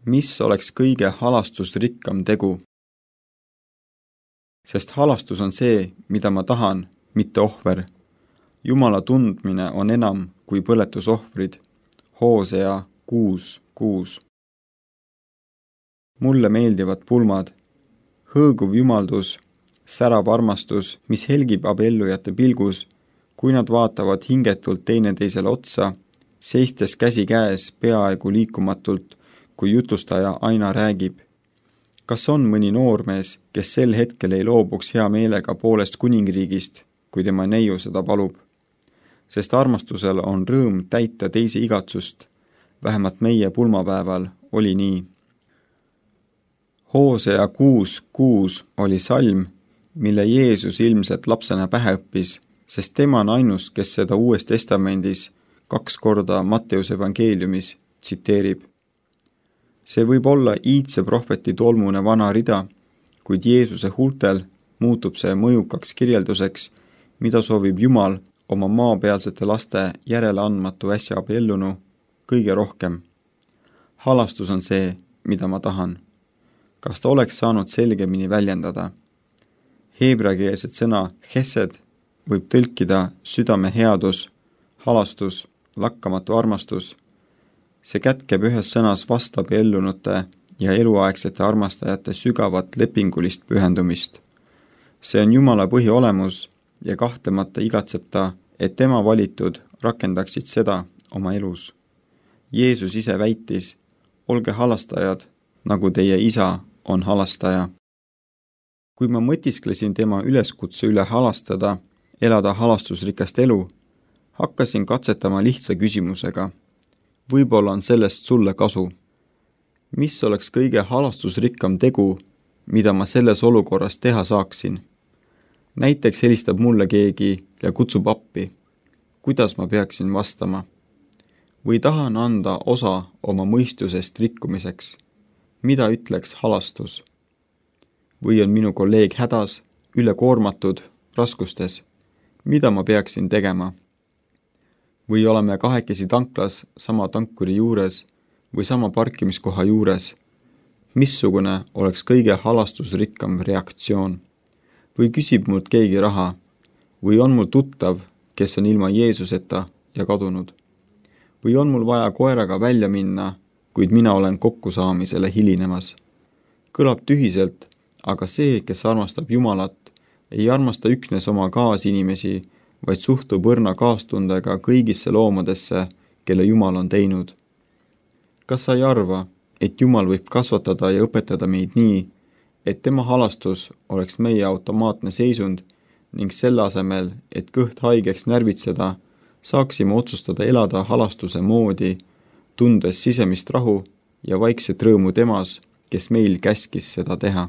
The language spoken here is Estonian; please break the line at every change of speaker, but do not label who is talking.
Mis oleks kõige halastusrikkam tegu? Sest halastus on see, mida ma tahan, mitte ohver. Jumala tundmine on enam kui põletusohvrid. Hoosea 6:6. Mulle meeldivad pulmad. Hõõguv jumaldus, särav armastus, mis helgib abiellujate pilgus, kui nad vaatavad hingetult teineteisele otsa, seistes käsi käes peaaegu liikumatult, kui jutustaja aina räägib. Kas on mõni noormees, kes sel hetkel ei loobuks hea meelega poolest kuningriigist, kui tema neiu seda palub? Sest armastusel on rõõm täita teise igatsust, vähemalt meie pulmapäeval oli nii. Hoosea 6:6 oli salm, mille Jeesus ilmselt lapsena pähe õppis, sest tema on ainus, kes seda Uues Testamendis 2 korda Matteuse evangeeliumis tsiteerib. See võib olla iidse prohveti tolmune vana rida, kuid Jeesuse huultel muutub see mõjukaks kirjelduseks, mida soovib Jumal oma maapealsete laste järeleandmatu äsja abiellunu kõige rohkem. Halastus on see, mida ma tahan. Kas ta oleks saanud selgemini väljendada? Heebreakeelset sõna chesed võib tõlkida südame headus, halastus, lakkamatu armastus. See kätkeb ühes sõnas vastabiellunute ja eluaegsete armastajate sügavat lepingulist pühendumist. See on Jumala põhiolemus ja kahtlemata igatseb ta, et tema valitud rakendaksid seda oma elus. Jeesus ise väitis, olge halastajad, nagu teie isa on halastaja. Kui ma mõtisklesin tema üleskutse üle halastada, elada halastusrikast elu, hakkasin katsetama lihtsa küsimusega. Võib-olla on sellest sulle kasu. Mis oleks kõige halastusrikkam tegu, mida ma selles olukorras teha saaksin? Näiteks helistab mulle keegi ja kutsub appi. Kuidas ma peaksin vastama? Või tahan anda osa oma mõistusest rikkumiseks? Mida ütleks halastus? Või on minu kolleeg hädas, ülekoormatud, raskustes? Mida ma peaksin tegema? Või oleme kahekesi tanklas sama tankuri juures või sama parkimiskoha juures? Missugune oleks kõige halastusrikkam reaktsioon? Või küsib mult keegi raha? Või on mul tuttav, kes on ilma Jeesuseta ja kadunud? Või on mul vaja koeraga välja minna, kuid mina olen kokkusaamisele hilinemas? Kõlab tühiselt, aga see, kes armastab Jumalat, ei armasta üksnes oma kaasinimesi, vaid suhtub õrna kaastundega kõigisse loomadesse, kelle Jumal on teinud. Kas sa ei arva, et Jumal võib kasvatada ja õpetada meid nii, et tema halastus oleks meie automaatne seisund ning selle asemel, et kõht haigeks närvitseda, saaksime otsustada elada halastuse moodi, tundes sisemist rahu ja vaikset rõõmu temas, kes meil käskis seda teha?